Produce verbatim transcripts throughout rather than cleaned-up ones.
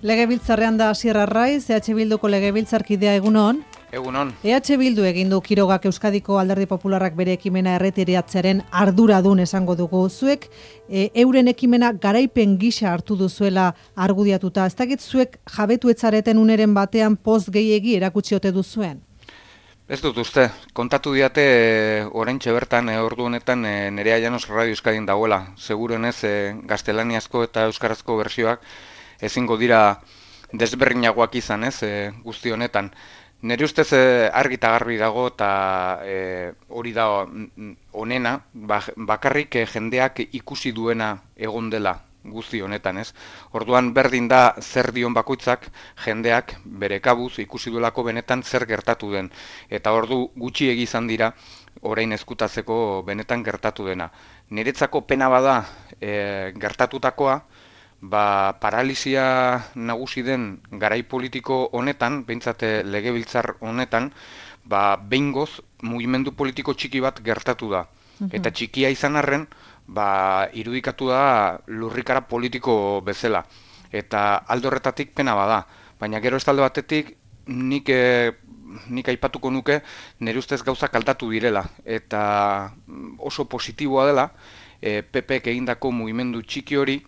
Legebiltzarrean da Asier Arraiz, E H Bilduko legebiltzarkidea egunon. Egunon. E H Bildu egin du Kirogak Euskadiko Alderdi Popularrak bere ekimena erretiratzearen arduradun esango dugu. Zuek e, euren ekimena garaipen gisa hartu duzuela argudiatuta. Ez dakit zuek jabetu etzareten uneren batean poz gehiegi erakutsi ote duzuen? Ez dut uste, kontatu diate oraintxe bertan, e, ordu honetan e, Nerea Llanos Radio Euskadin dagoela. Seguruenez e, gaztelaniazko eta euskarazko bertsioak ezingo dira desberdinagoak izan, ez, e, guzti honetan. Nire ustez e, argi eta garbi dago eta e, hori da onena, bakarrik e, jendeak ikusi duena egon dela guzti honetan, ez. Orduan berdin da zer dion bakoitzak jendeak bere kabuz ikusi duelako benetan zer gertatu den. Eta ordu gutxi izan dira orain ezkutatzeko benetan gertatu dena. Niretzako pena bada e, gertatutakoa, ba, paralisia nagusi den garai politiko honetan, behintzat legebiltzar honetan, ba, behingoz mugimendu politiko txiki bat gertatu da. Uh-huh. Eta txikia izan arren, ba, irudikatu da lurrikara politiko bezala. Eta alde horretatik pena bada. Baina gero ez talde batetik, nik, e, nik aipatuko nuke nire ustez gauzak aldatu direla. Eta oso positiboa dela, e, P Pek egindako mugimendu txiki hori,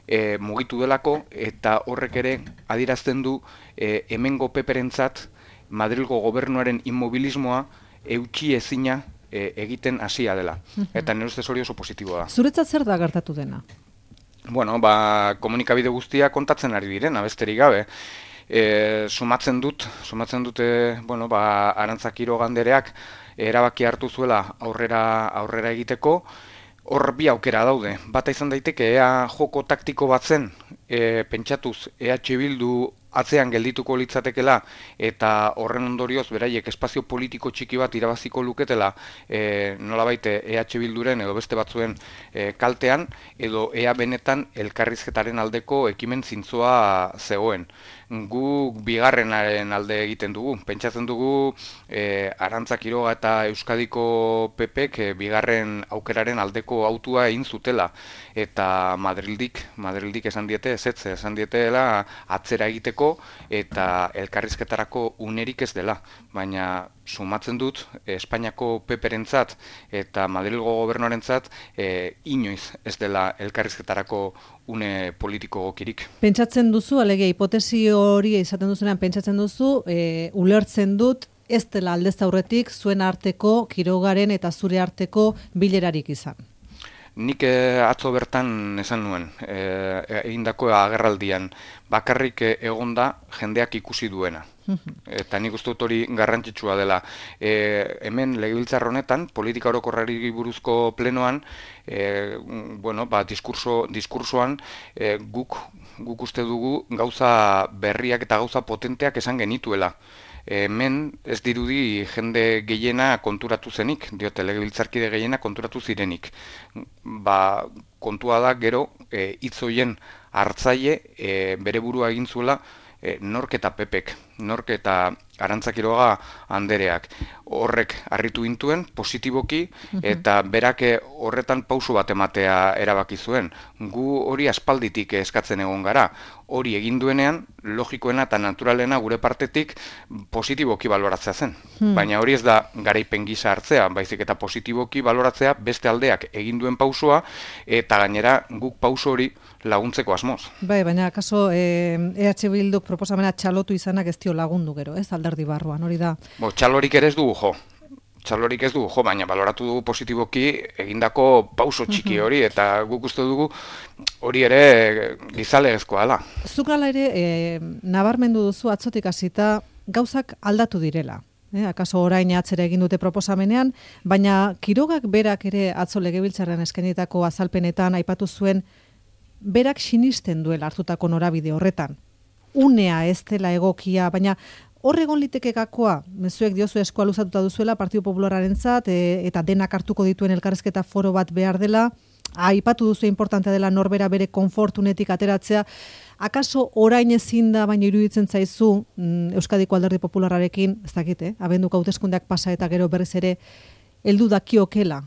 E, mugitu delako eta horrek ere adierazten du e, hemengo peperentzat Madrilgo gobernuaren inmobilismoa eutsi ezina e, egiten hasia dela. Eta nire ustez hori oso positiboa da. Zuretzat zer da gertatu dena? Bueno, ba, komunikabide guztia kontatzen ari direna, besterik gabe. E, sumatzen dut, sumatzen dute, bueno, ba, Arantza Quiroga andereak erabaki hartu zuela aurrera aurrera egiteko. Hor bi aukera daude. Bata izan daiteke ea joko taktiko bat zen, e, pentsatuz E H Bildu atzean geldituko litzatekela eta horren ondorioz beraiek espazio politiko txiki bat irabaziko luketela e, nolabait E H Bilduren edo beste batzuen e, kaltean, edo ea benetan elkarrizketaren aldeko ekimen zintzoa zegoen. Gu bigarrenaren alde egiten dugu. Pentsatzen dugu e, Arantza Quiroga eta Euskadiko P Pek e, bigarren aukeraren aldeko autua egin zutela. Eta Madrildik, Madrildik esan diete, ezetz, esan dietela atzera egiteko eta elkarrizketarako unerik ez dela. Baina sumatzen dut, Espainiako Peperentzat eta Madrilgo gobernuarentzat e, inoiz ez dela elkarrizketarako une politiko gokirik. Pentsatzen duzu, alegia hipotesi hori izaten duzunean pentsatzen duzu, e, ulertzen dut ez dela aldez aurretik zuen arteko, Kirogaren eta zure arteko bilerarik izan. Nik eh, atzo bertan esan nuen, eh, egindako agerraldian, bakarrik eh, egonda jendeak ikusi duena. Eta nik uste dut hori garrantzitsua dela. E, hemen legebiltzar honetan, politika orokorrari buruzko plenoan, e, bueno, ba, diskurso, diskursoan e, guk, guk uste dugu gauza berriak eta gauza potenteak esan genituela. Hemen ez dirudi jende gehiena konturatu zenik, diote legebiltzarkide gehiena konturatu zirenik. Ba, kontua da gero e, hitz horien hartzaile e, bere burua egin zuela e, nork eta Pepek, nork eta Arantza Quiroga andereak. Horrek harritu gintuen positiboki eta berak horretan pauso bat ematea erabaki zuen. Gu hori aspalditik eskatzen egon gara. Hori egin duenean, logikoena eta naturalena gure partetik positiboki baloratzea zen. Hmm. Baina hori ez da garaipen gisa hartzea, baizik eta positiboki baloratzea beste aldeak egin duen pausoa eta gainera guk pauso hori laguntzeko asmoz. Bai, baina akaso eh, E H Bilduk proposamena txalotu izanak ez dio lagundu gero, ez alderdi barruan, hori da. Bo, txalorik ere ez dugu jo. Txalorik ez dugu jo, baina baloratu dugu positiboki egindako pauso txiki hori, eta guk uste dugu hori ere gizalegezkoa da. Zuk hala ere, e, nabarmendu duzu atzotik hasita gauzak aldatu direla. Eh, akaso orain atzera egin dute proposamenean, baina Kirogak berak ere atzo legebiltzarrean eskainitako azalpenetan aipatu zuen berak sinisten duela hartutako norabide horretan. Unea ez dela egokia, baina hor egon liteke gakoa, mezuek diozu eskua luzatuta duzuela Partidu Populararentzat e, eta denak hartuko dituen elkarrizketa foro bat behar dela, aipatu duzu importantea dela norbera bere konfortunetik ateratzea. Akaso orain ezin da, baina iruditzen zaizu mm, Euskadiko Alderdi Populararekin, ez dakit, eh? Abenduko hauteskundeak pasa eta gero berriz ere heldu dakiokela.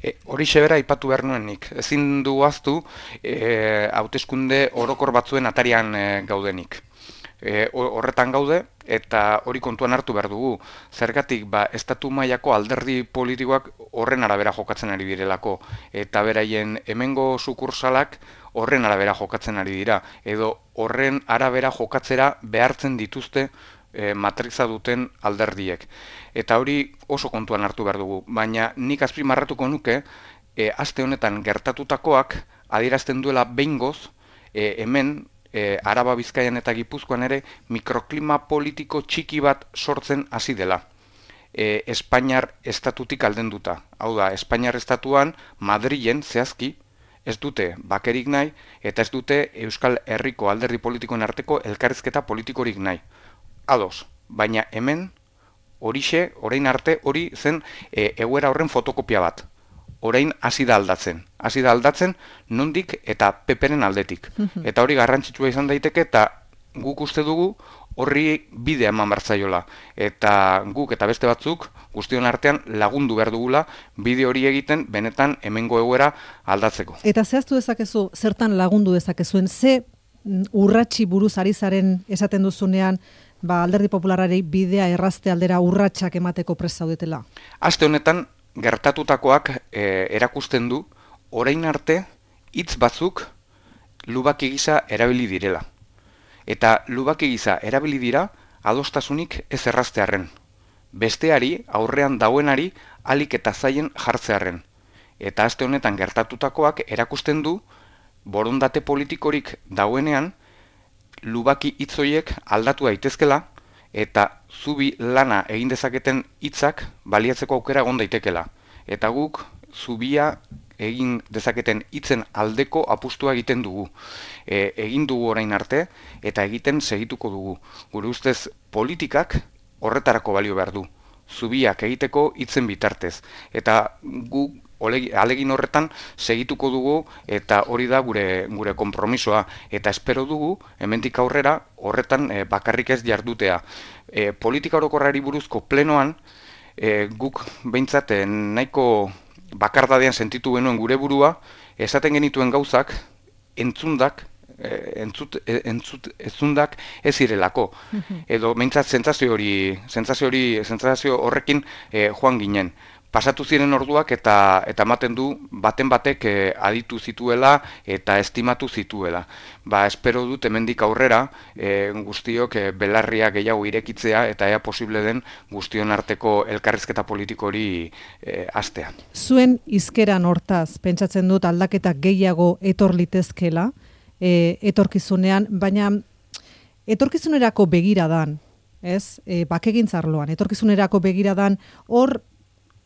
E, horixe bera aipatu behar nuen nik. Ezin du ahaztu e, hauteskunde orokor batzuen atarian e, gaudenik. E, horretan gaude eta hori kontuan hartu behar dugu. Zergatik ba estatu mailako alderdi politikoak horren arabera jokatzen ari direlako eta beraien hemengo sukursalak horren arabera jokatzen ari dira edo horren arabera jokatzera behartzen dituzte e, matriza duten alderdiek. Eta hori oso kontuan hartu behar dugu, baina nik azpimarratuko nuke e, aste honetan gertatutakoak adierazten duela behingoz e, hemen E, Araba, Bizkaian eta Gipuzkoan ere mikroklima politiko txiki bat sortzen hasi dela. E, Espainiar estatutik aldenduta. Hau da, Espainiar estatuan Madrilen zehazki ez dute bakerik nahi eta ez dute Euskal Herriko alderdi politikoen arteko elkarrizketa politikorik nahi. Ados, baina hemen horixe, orain arte hori zen e, egoera horren fotokopia bat. Orain hasi da aldatzen. Hasi da aldatzen nondik eta peperen aldetik. Eta hori garrantzitsua izan daiteke eta guk uste dugu horri bidea eman bartzaiola. Eta guk eta beste batzuk guztion artean lagundu behar dugula bide hori egiten benetan hemengo egoera aldatzeko. Eta zehaztu dezakezu, zertan lagundu dezakezuen, ze urratsi buruz ari zaren esaten duzunean ba, Alderdi Popularrari bidea errazte aldera urratsak emateko prest zaudetela? Aste honetan gertatutakoak e, erakusten du orain arte hitz batzuk lubaki gisa erabili direla. Eta lubaki gisa erabili dira adostasunik ez erraztearren. Besteari aurrean dauenari alik eta zaien jartzearren. Eta aste honetan gertatutakoak erakusten du borondate politikorik dauenean lubaki hitzoiek aldatu daitezkela eta zubi lana egin dezaketen hitzak baliatzeko aukera egon daitekela. Eta guk zubia egin dezaketen hitzen aldeko apustua egiten dugu. E, egin dugu orain arte eta egiten segituko dugu. Gure ustez politikak horretarako balio behar du. Zubiak egiteko hitzen bitartez. Eta guk alegin horretan segituko dugu eta hori da gure gure konpromisoa eta espero dugu hemendik aurrera horretan e, bakarrik ez jardutea. E, politika orokorrari buruzko plenoan e, guk behintzat e, nahiko bakardadean sentitu genuen gure burua, esaten genituen gauzak entzundak e, entzut, e, entzut entzundak ez zirelako. Edo behintzat sentsazio hori sentsazio hori sentsazio horrekin e, joan ginen. Pasatu ziren orduak eta eta ematen du baten batek e, aditu zituela eta estimatu zituela. Ba, espero dut hemendik aurrera e, guztiok e, belarria gehiago irekitzea eta ea posible den guztion arteko elkarrizketa politiko hori e, hastea. Zuen hizkeran hortaz pentsatzen dut aldaketa gehiago etor litezkela e, etorkizunean, baina etorkizunerako begiradan, ez? E, bakegintzarloan, etorkizunerako begiradan hor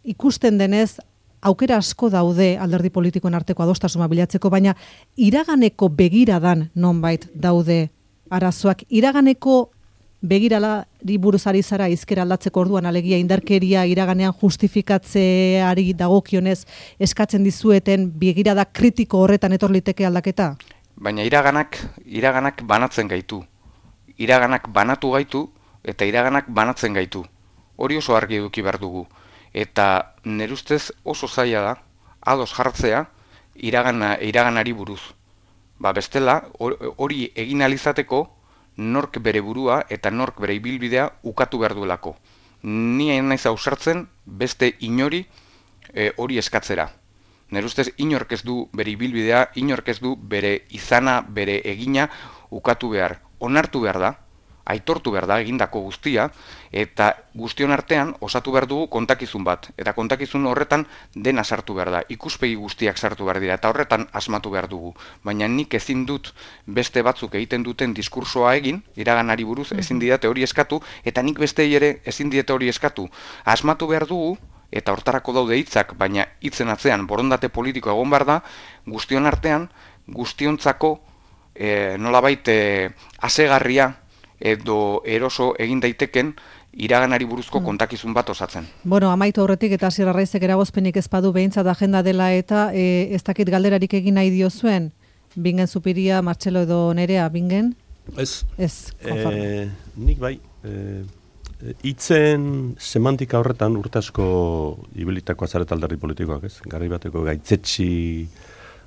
ikusten denez, aukera asko daude alderdi politikoen arteko adostasuna bilatzeko, baina iraganeko begiradan nonbait daude arazoak. Iraganeko begiralari buruz ari zara hizkera aldatzeko orduan, alegia indarkeria iraganean justifikatzeari dagokionez eskatzen dizueten begirada kritiko horretan etor liteke aldaketa? Baina iraganak, iraganak banatzen gaitu. Iraganak banatu gaitu eta iraganak banatzen gaitu. Hori oso argi eduki behar dugu. Eta nire ustez oso zaila da, ados jartzea iragana, iraganari buruz. Ba bestela, hori egin alizateko nork bere burua eta nork bere ibilbidea ukatu behar duelako. Ni hain naiz ausartzen beste inori e, hori eskatzera. Nire ustez inork ez du bere ibilbidea, inork ez du bere izana, bere egina ukatu behar. Onartu behar da, aitortu behar da egindako guztia, eta guztion artean osatu behar dugu kontakizun bat. Eta kontakizun horretan dena sartu behar da, ikuspegi guztiak sartu behar dira, eta horretan asmatu behar dugu. Baina nik ezin dut beste batzuk egiten duten diskursoa egin, iraganari buruz ezin didate hori eskatu, eta nik bestei ere ezin diete hori eskatu. Asmatu behar dugu, eta hortarako daude hitzak, baina hitzen atzean borondate politiko egon behar da, guztion artean, guztiontzako e, nolabait e, asegarria, edo eroso egin daiteken iraganari buruzko kontakizun bat osatzen. Bueno, amaitu aurretik eta Asier Arraizek eragozpenik ez badu behintzat agenda dela eta e, ez dakit galderarik egin nahi diozuen? Bingen Zupiria, Martxelo edo Nerea, Bingen? Ez. Ez, e, nik bai, e, hitzen semantika horretan urte asko ibilitako azaret alderdi politikoak, ez? Garai bateko gaitzetsi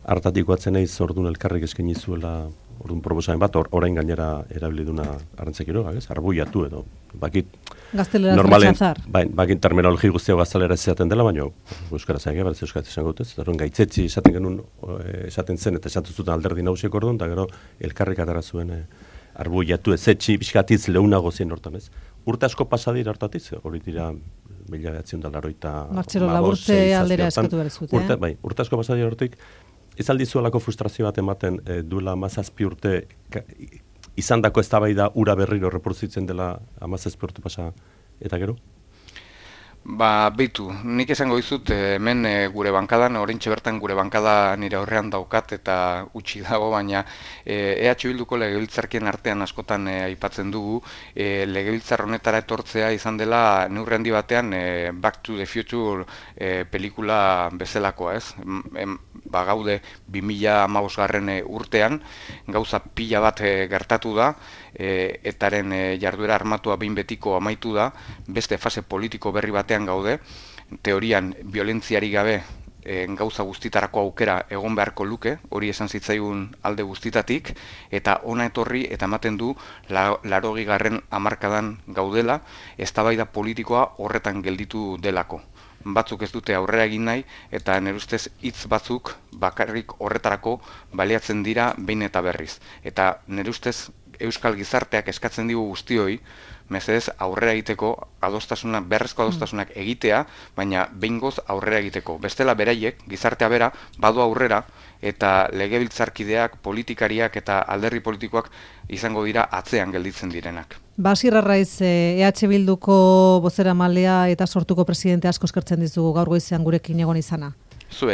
hartatiko atzen naiz ordun elkarrik eskaini zuela ordun proposamen bat, or, orain gainera erabili duna Arantza Quiroga, ez? Arbuiatu edo bakit Gaztelera normalen, rechazar. Bai, bakit terminologi guztia gaztelera esaten dela, baina euskaraz egin, berez euskaraz esango dut, ez? Orduan gaitzetsi esaten genuen esaten zen eta esatu zuten alderdi nagusiek orduan, eta gero elkarrik atera zuen e, arbuiatu ezetxi, pixkatiz leunago zen hortan, ez? Urte asko pasadira hortatiz, hori dira mila behatzen da laroita... Martxelo Laburtze aldera eskatu behar zute, urte, bai, urte asko pasadira hortik, ez aldizuelako frustrazio bat ematen e, duela amazazpi urte ka, izan dako eztabaida ura berriro reproduzitzen dela amazazpi urte pasa eta gero? Ba, beitu, nik esango dizut hemen e, gure bankadan, oraintxe bertan gure bankada nire aurrean daukat eta utzi dago, baina e, E H Bilduko legebiltzarkien artean askotan e, aipatzen dugu, e, legebiltzar honetara etortzea izan dela neurri handi batean e, Back to the Future e, pelikula bezalakoa, ez? Em, ba, gaude bi mila hamabosgarren urtean, gauza pila bat e, gertatu da, e, etaren e, jarduera armatua behin betiko amaitu da, beste fase politiko berri batean gaude, teorian violentziari gabe e, gauza guztitarako aukera egon beharko luke, hori esan zitzaigun alde guztitatik, eta ona etorri eta ematen du la, larogigarren hamarkadan gaudela, eztabaida politikoa horretan gelditu delako. Batzuk ez dute aurrera egin nahi, eta nire ustez hitz batzuk bakarrik horretarako baliatzen dira behin eta berriz. Eta nire ustez euskal gizarteak eskatzen digu guztioi, mesedez aurrera egiteko adostasunak, berrezko adostasunak egitea, baina behingoz aurrera egiteko. Bestela beraiek, gizartea bera, badu aurrera, eta legebiltzarkideak, politikariak eta alderdi politikoak izango dira atzean gelditzen direnak. Basir Arraiz, E H Bilduko bozeramalea eta sortuko presidente asko eskertzen dizugu gaur goizean gurekin egon izana. Zuei.